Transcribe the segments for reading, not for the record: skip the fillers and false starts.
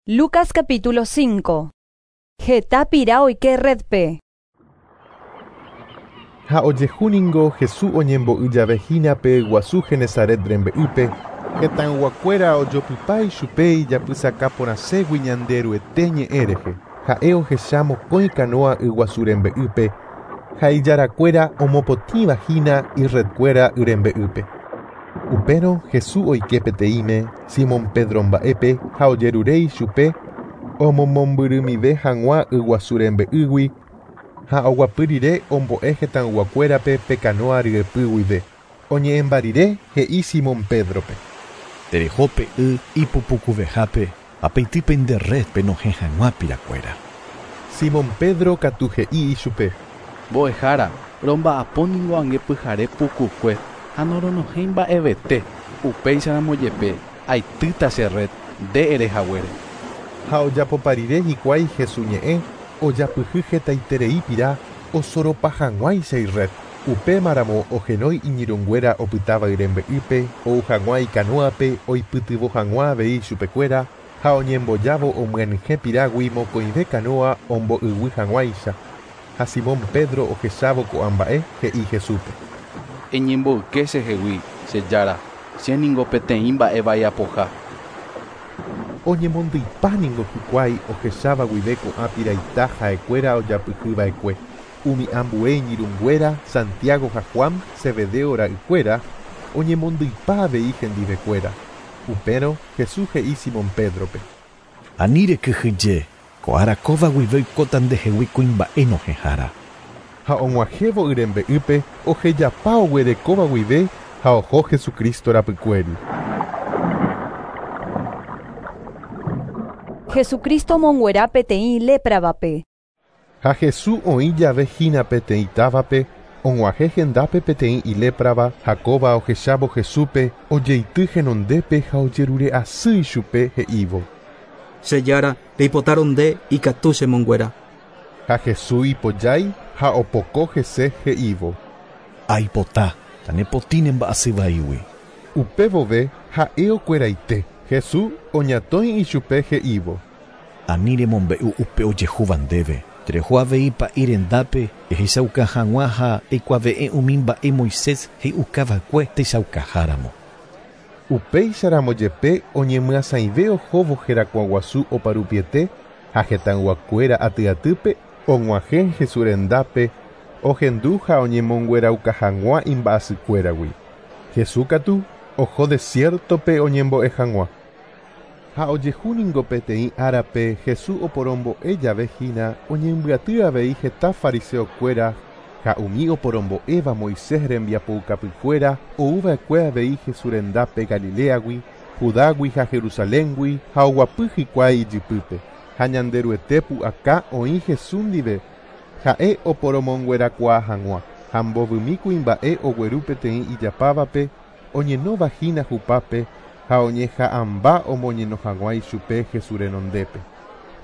Lucas capítulo 5. Heta pira oike redpe. Ha ojehu ningo Jesús oñembo'y jave hína pe yguasu Genesaret rembe'ýpe, hetãyguakuéra ojopypa ichupe ijapysaka porãségui Ñanderuete ñe'ẽ rehe. Ha'e ohecha mokõi kanóa yguasu rembe'ýpe ha ijarakuéra omopotĩva hína irredkuéra y rembe'ýpe. Upérõ Jesús oike peteĩme Simón Pedro mba'épe ha ojerure ichupe omomombyrymive hag̃ua yguasu rembe'ýgui ha oguapy rire ombo'e hetãyguakuérape pe kanóa ryepy guive. Oñe'ẽmba rire he'i Simón Pedrope. Tereho pe y ipupukuvehápe ha peity nde red penohẽ hag̃ua pirakuéra. Simón Pedro katu he'i ichupe. Mbo'ehára, romba'apo ningo ange pyhare pukukue ha noronohẽi mba'evete. Upéicharamo jepe aitýta che red nde ere haguére. Ha ojapopa rire hikuái Jesús ñe'ẽ ojapyhy hetaiterei pira osoropa hag̃uáicha irred. Upémaramo ohenói iñirũnguéra opytáva y rembe'ýpe ou hag̃ua ikanóape oipytyvõ hag̃ua avei chupekuéra ha oñembojávo omyenyhẽ pirágui mokõive kanóa ombo'yguy hag̃uáicha. Ha Simón Pedro ohechávo ko'ã mba'e he'i Jesúspe. Eñemboyke chehegui, che Jára, che ningo peteĩ mba'e vaiapoha. Oñemondyipa ningo hikuái ohecháva guive ko'ã piraita ha'ekuéra ojapyhyva'ekue. Umi ambue iñirũnguéra Santiago ha Juan Zebedeo ra'ykuéra oñemondyipa avei hendivekuéra. Upérõ Jesús he'i Simón Pedrope. Ani rekyhyje, ko ára kóva guive oikóta ndehegui kuimba'e nohẽhára. Ha og̃uahẽvo y rembe'ýpe ohejapa oguerekóva guive ha oho Jesucristo rapykuéri. Jesucristo omonguera peteĩ lépravape. Ha Jesús oĩ jave hína peteĩ távape, og̃uahẽ hendápe peteĩ iléprava ha kóva ohechávo Jesúspe ojeity henondépe ha ojerure asy ichupe he'ívo. Che Jára, reipotárõ nde ikatu chemonguera. Ha Jesús ipojái ha opoko hese he'ívo. Aipota, tanepotĩ ne mba'asy vaígui. Upe vove ha'e okueraite. Jesús oñatõi ichupe he'ívo. Ani remombe'u upe ojehúva ndéve. Tereho avei pa'i rendápe ehechauka hag̃ua ha eikuave'ẽ umi mba'e Moisés he'iukava'ekue techaukaháramo. Upéicharamo jepe oñemyasãive ohóvo herakuãguasu oparupiete ha hetãyguakuéra atyatýpe og̃uahẽ Jesús rendápe ohendu ha oñemonguerauka hag̃ua imba'asykuéragui. Jesús katu oho desiertope oñembo'e hag̃ua. Ha ojehu ningo peteĩ árape Jesús oporombo'e jave hína oñembyaty avei heta fariseokuéra ha umi oporombo'éva Moisés rembiapoukapykuéra ouva'ekue avei Jesús rendápe Galileagui, Judágui ha Jerusaléngui ha oguapy hikuái ijypýpe. Ha Ñanderuete pu'aka oĩ Jesús ndive ha'e oporomonguerakuaa hag̃ua ha mbovymi kuimba'e ogueru peteĩ ijapávape oñenóva hína hupápe ha oñeha'ãmba omoñeno hag̃ua ichupe Jesús renondépe.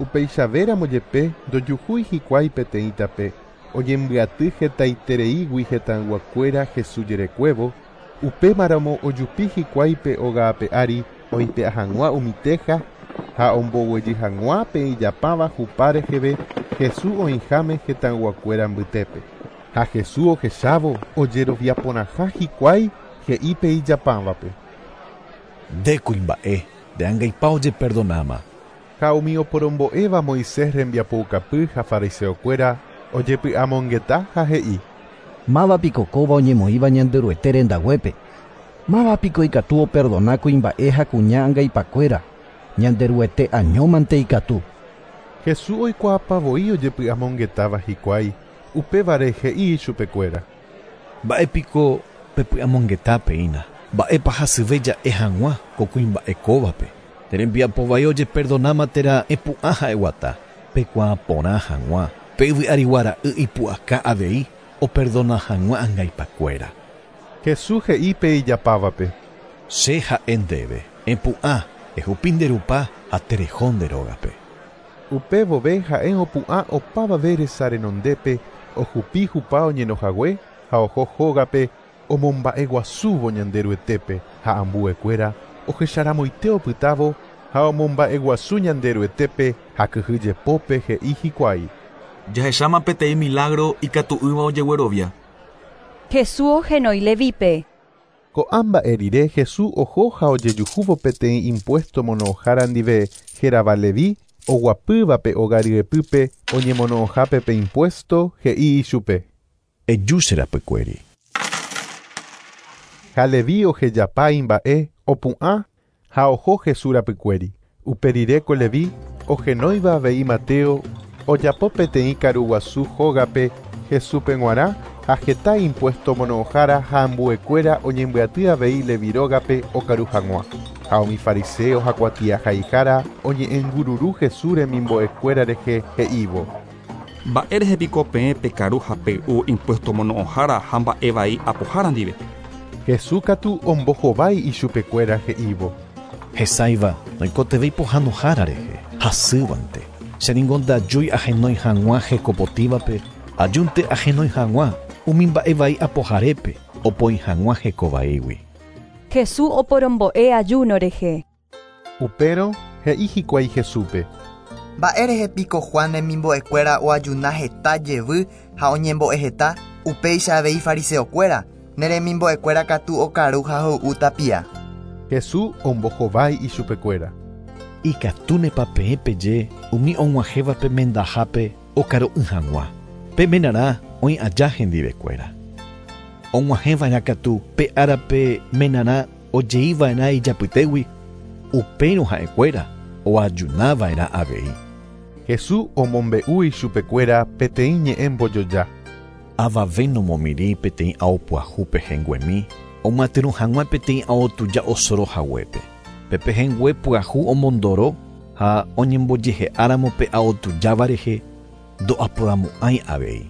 Upeichavéramo jepe ndojuhúi hikuái peteĩ tape oñembyaty hetaitereígui hetãyguakuéra Jesús jerekuévo, upémaramo ojupi hikuái pe óga ape ári oipe'a hag̃ua umi teja ha omboguejy hag̃ua pe ijapáva hupa reheve Jesús oĩháme hetãyguakuéra mbytépe. Ha Jesús ohechávo ojeroviaporãha hikuái he'i pe ijapávape. Nde kuimba'e, nde angaipa ojeperdonáma. Ha umi oporombo'éva Moisés rembiapoukapy ha fariseokuéra ojepy'amongeta ha he'i. Máva piko kóva oñemoĩva Ñanderuete rendaguépe. Máva piko ikatu operdona kuimba'e ha kuña angaipakuéra. Ñanderuete añómante ikatu. Jesús oikuaapavoi ojepy'amongetáva hikuái, upévare he'i ichupekuéra. Mba'épiko pepy'amongetápeína. Mba'épa hasyve ja'e hag̃ua ko kuimba'e kóvape. Nde rembiapo vai ojeperdonáma térã epu'ã ha'eguata. Pekuaa porã hag̃ua. Pe yvy arigua ra'y ipu'aka avei operdona hag̃ua angaipakuéra. Jesús he'i pe ijapávape. Che ha'e ndéve, epu'ã, ehupi nde rupa ha tereho nde rógape. Upe vove ha'e opu'ã opavave resa renondépe ohupi hupa oñenohague ha oho hógape omomba'eguasúvo Ñanderuetépe ha ambuekuéra ohecharamoite opytávo Ha omomba'eguasu Ñanderuetépe ha kyhyjepópe he'i hikuái. Jahecháma peteĩ milagro ikatu'ỹva ojeguerovia. Jesús ohenói Levípe. Ko'ã mba'e rire Jesús oho ha ojejuhúvo peteĩ impuesto mono'õhára ndive hérava Leví oguapývape óga ryepýpe oñemono'õhápe pe impuesto he'i ichupe. Eju che rapykuéri. Ha Leví ohejapa imba'e opu'ã ha oho Jesús rapykuéri. Upe rire ko Leví ohenóiva avei Mateo ojapo peteĩ karuguasu hógape Jesúspe g̃uarã ha heta impuesto mono'õhára ha ambuekuéra oñembyaty avei Leví rógape okaru hag̃ua. Ha umi fariseo ha kuatiahaihára oñe'ẽngururu Jesús remimbo'ekuéra rehe he'ívo. Mba'érehe piko peẽ pekaru ha pey'u impuesto mono'õhára ha mba'evai apohára ndive. Jesús katu ombohovái ichupekuéra he'ívo. Hesãiva noikotevẽi pohãnohára rehe, hasývante. Che ningo ndajúi ahenói hag̃ua hekopotĩvape, ajúnte ahenói hag̃ua umi mba'evai apoharépe opoi hag̃ua hekovaígui. Jesús oporombo'e ayuno rehe. Upérõ he'i hikuái Jesúspe. Mba'érehe piko Juan remimbo'ekuéra oajuna heta jevy ha oñembo'e heta, upéicha avei fariseokuéra, ne remimbo'ekuéra katu okaru ha hoy'u tapia. Jesús ombohovái ichupekuéra. Ikatúnepa peẽ peje umi og̃uahẽvape mendahápe okaru'ỹ hag̃ua. Pe menarã oĩ aja hendivekuéra. Og̃uahẽva'erã katu pe árape menarã ojeiva'erã ijapytégui, upérõ ha'ekuéra oajunava'erã avei. Jesús omombe'u ichupekuéra peteĩ ñe'ẽ mbojoja. Avave nomomirĩ peteĩ ao pyahu pehẽnguemi omyatyrõ hag̃ua peteĩ ao tuja osoro haguépe. Pe pehẽngue pyahu omondoro ha oñembojehe'áramo pe ao tujáva rehe ndo'aporamo'ãi avei.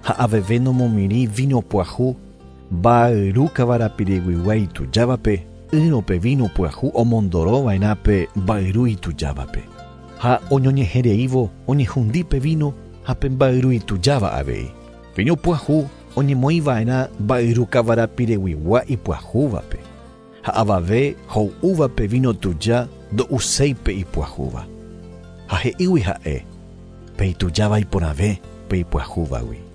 Ha aveve nomomirĩ vino pyahu mba'yru kavarapireguigua itujávape ỹrõ pe vino pyahu omondorova'erã pe mba'yru itujávape. Ha oñoñehẽreívo oñehundi pe vino ha pe mba'yru itujáva avei. Vino pyahu oñemoĩva'erã mba'yru kavarapireguigua ipyahúvape. Ha avave ho'úvape vino tuja ndo'uséi pe ipyahúva. Ha he'ígui ha'e pe itujáva iporãve pe ipyahúvagui.